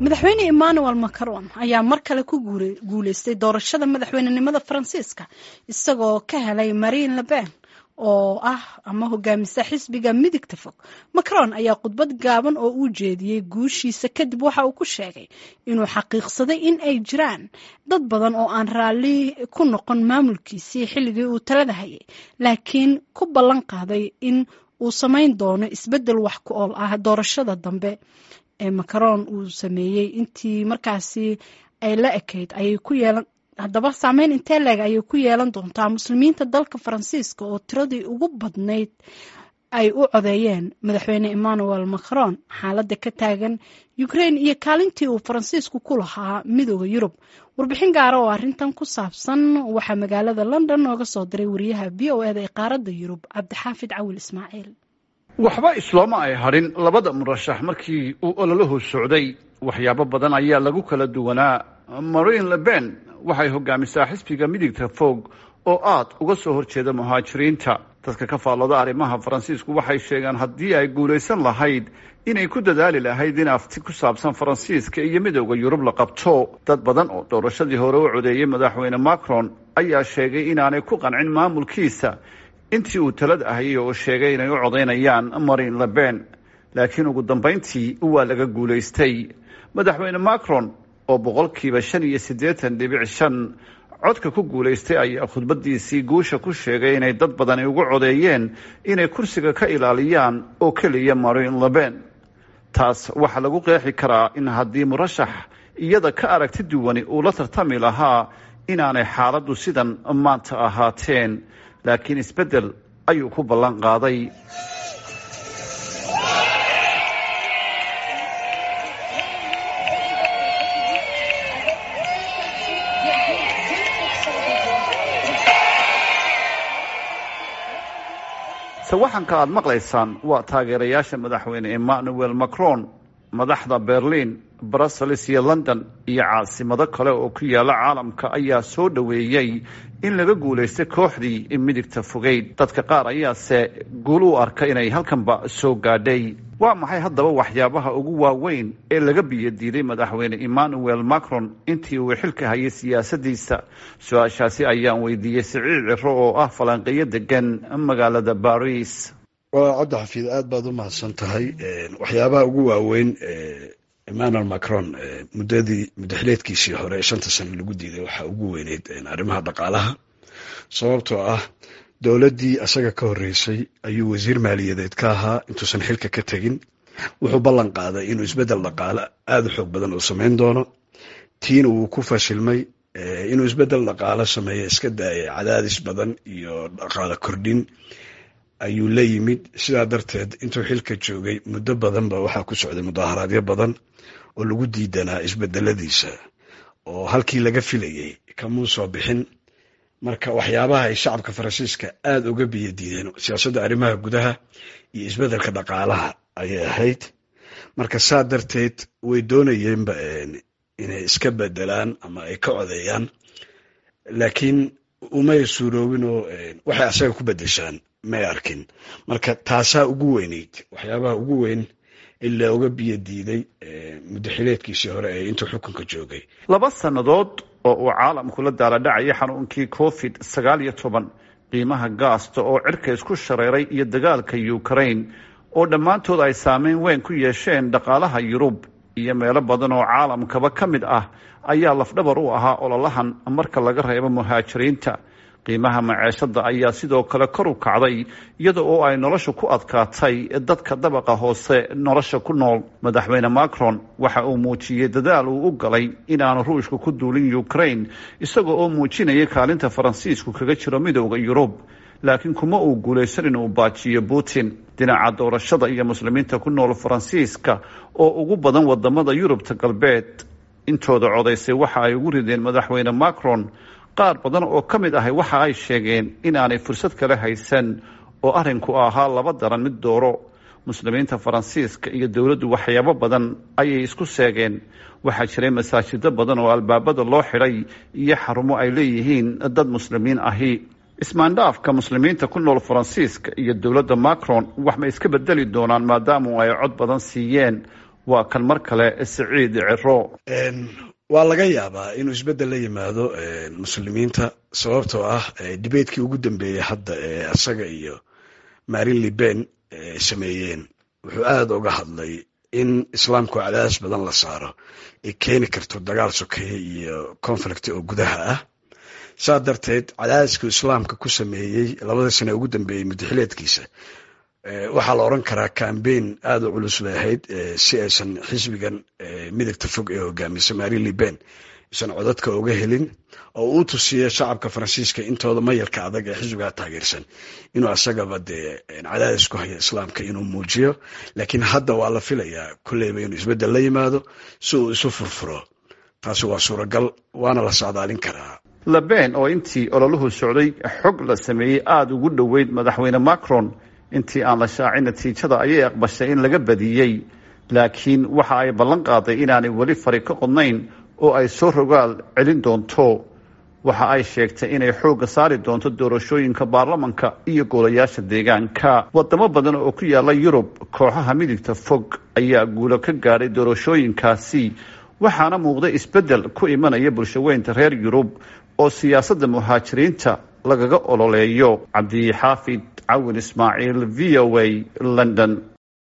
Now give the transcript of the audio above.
Madaxweyne Emmanuel Macron ayaa mar kale ku guuleystay doorashada madaxweynenimada Faransiiska, isagoo ka helay Marine Le Pen oo ah ama hogaamisa xisbiga midigta fog. Macron ayaa khudbad gaaban oo uu jeediyey guushiisa kadib waxa uu ku sheegay inuu xaqiiqsaday in ay jiraan dad badan oo aan raalli ku noqon maamulkiisii xilligii uu talada hayay, laakiin ku ballan qaaday in uu samayn doono isbeddel wax ku ool ah. Doorashada dambe ee Macron uu sameeyey intii markaasi ay la ekayd ayay ku yeelan, haddaba saameyn intee leeg ayay ku yeelan doontaa muslimiinta dalka Faransiiska oo tiradii ugu badnayd ay u codeeyeen madaxweyne Emmanuel Macron? Xaaladda ka taagan Ukraine iyo kaalintii uu Faransiisku ku lahaa Midooda Yurub, warbixin gaara oo arrintan ku saabsan waxaa magaalada London nooga soo diray wariyaha VOA-da ee qaaradda Yurub, Cabdixaafid Cawil Ismaaciil. Waxba islooma ay hadhin labada murashax markii uu ololahu socday. Waxyaabo badan ayaa lagu kala duwanaa. Marine Le Pen waxay hogaamisaa xisbiga midigta fog oo aad uga soo horjeeda muhaajiriinta. Dadka ka faallooda arrimaha Faransiisku waxay sheegaan haddii ay guulaysan lahayd inay ku dadaali lahayd in afti ku saabsan Faransiiska iyo Midooda Yurub la qabto. Dad badan oo doorashadii hore u codeeyey madaxweyne Macron ayaa sheegay inaanay ku qancin maamulkiisa intii uu talada ahayay, oo sheegay inay u codaynayaan Marine Le Pen, laakiin ugu dambayntii waa laga guulaystay. Madaxweyne Macron oo 85.5% codka ku guulaystay ayaa khudbadiisii guusha ku sheegay inay dad badani ugu codeeyeen inay kursiga ka ilaaliyaan oo keliya Marine Le Pen. Taas waxaa lagu qeexi karaa in haddii murashax iyada ka aragti duwani uu la tartami lahaa inaanay xaaladdu sidan maanta ahaateen, laakiin isbeddel ayuu ku ballan qaaday. Sawaxanka aad maqlaysaan waa taageerayaasha madaxweyne Emmanuel Macron. Madaxda Berlin, Brussels iyo London iyo caasimado kale oo ku yaala caalamka ayaa soo dhoweeyey in laga guulaystay kooxdii midigta fogeyd. Dadka qaar ayaase guul u arka inay halkanba soo gaadhay. Waa maxay haddaba waxyaabaha ugu waaweyn ee laga biyodiiday madaxweyne Emmanuel Macron intii uu xilka hayay siyaasadiisa? Su-aashaasi ayaan weydiiyey Siciid Ciro oo ah falanqeeyo degan magaalada Baris. Waa Cabdi Xafiid, aad baad u mahadsan tahay. Waxyaabaha ugu waaweyn Emmanuel Macron muddadii muddaxileedkiisii hore ee 5-ta sano lagu diiday waxaa ugu weyneyd arrimaha dhaqaalaha, sababtoo ah dowladdii asaga ka horreysay ayuu wasiir maaliyadeed ka ahaa intuusan xilka ka tegin. Wuxuu ballan qaaday inuu isbeddel dhaqaale aada u xoog badan uu samayn doono. Tiina wuu ku fashilmay inuu isbeddel dhaqaale sameeyo. Iska daayay, cadaadis badan iyo dhaqaale kordhin ayuu la yimid. Sidaa darteed intuu xilka joogay muddo badan ba waxaa ku socday mudaaharaadyo badan oo lagu diidanaa isbedeladiisa, oo halkii laga filayey kamuu soo bixin. Marka waxyaabaha ay shacabka Faransiiska aada uga biyo diideen siyaasadda arrimaha gudaha iyo isbedelka dhaqaalaha ayay ahayd. Marka saa darteed way doonayeenba inay iska bedelaan ama ay ka codeeyaan, laakiin umay suuroobin oo waxay asaga ku bedeshaan may arkin. Marka taasaa ugu weyneyd waxyaabaha ugu weyn ilaa uga biyo diiday muddaxileedkiisii hore ee intuu xukunka joogay. 2 sannadood oo uu caalamku la daaladhacayay xanuunkii COVID-19, qiimaha gaasta oo cirka isku shareeray iyo dagaalka Ukraine oo dhammaantood ay saameyn weyn ku yeesheen dhaqaalaha Yurub iyo meelo badan oo caalamkaba ka mid ah ayaa lafdhabar u ahaa ololahan, marka laga reebo muhaajiriinta. Qiimaha maceeshada ayaa sidoo kale kor u kacday, iyada oo ay nolosha ku adkaatay dadka dabaqa hoose nolosha ku nool. Madaxweyne Macron waxa uu muujiyey dadaal uu u galay inaanu Ruushka ku duulin Ukraine, isaga oo muujinaya kaalinta Faransiisku kaga jiro Midooda Yurub, laakiin kuma uu guulaysan inuu baajiyo Putin. Dhinaca doorashada iyo muslimiinta ku nool Faransiiska oo ugu badan wadamada Yurubta Galbeed intooda codaysay waxa ay ugu rideen madaxweyne Macron. Qaar badan oo ka mid ahi waxa ay sheegeen inaanay fursad kale haysan oo arrinku ahaa laba daran mid dooro. Muslimiinta Faransiiska iyo dowladdu waxyaabo badan ayay isku seegeen. Waxaa jiray masaajido badan oo albaabada loo xidhay iyo xarumo ay leeyihiin dad muslimiin ahi. Ismaandhaafka muslimiinta ku nool Faransiiska iyo dowladda Macron wax ma iska bedeli doonaan maadaamu ay cod badan siiyeen? Waa kan mar kale Siciid Ciro. Waa laga yaabaa inuu isbeddel la yimaado muslimiinta, sababtoo ah debatekii ugu dambeeyey hadda ee asaga iyo Marine Le Pen sameeyeen, wuxuu aada uga hadlay in islaamku cadaadis badan la saaro ay keeni karto dagaal sokeeye iyo conflict oo gudaha ah. Saa darteed cadaadisku islaamka ku sameeyey 2-dii sane ugu dambeeyey muddaxileedkiisa, waxaa la oran karaa campaign aada u culus bay ahayd, si aysan xisbigan midigta fog ee hogaamisa Marine Le Pen isan codadka uga helin, oo uu tusiyo shacabka Faransiiska intooda mayalka adag ee xisbigaa taageersan inuu asagaba dee cadaadis ku hayo islaamka inuu muujiyo. Laakiin hadda waa la filayaa kolleyba inuu isbeddel la yimaado si uu isu furfuro. Taasi waa suuragal, waana la socdaalin karaa. Le Pen oo intii ololuhu socday xog la sameeyey aada ugu dhoweyd madaxweyne Macron, intii aan la shaacin natiijada ayay aqbashay in laga badiyey, laakiin waxa ay ballan qaaday inaanay weli fari ka qodnayn oo ay soo rogaal celin doonto. Waxa ay sheegtay inay xoogga saari doonto doorashooyinka baarlamanka iyo golayaasha deegaanka. Wadamo badan oo ku yaala Yurub, kooxaha midigta fog ayaa guulo ka gaadhay doorashooyinkaasi, waxaana muuqday isbeddel ku imanaya bulshaweynta reer Yurub oo siyaasadda muhaajiriinta lagaga ololeeyo. Cabdixaafid Cawin Ismaaciil, VOA, London.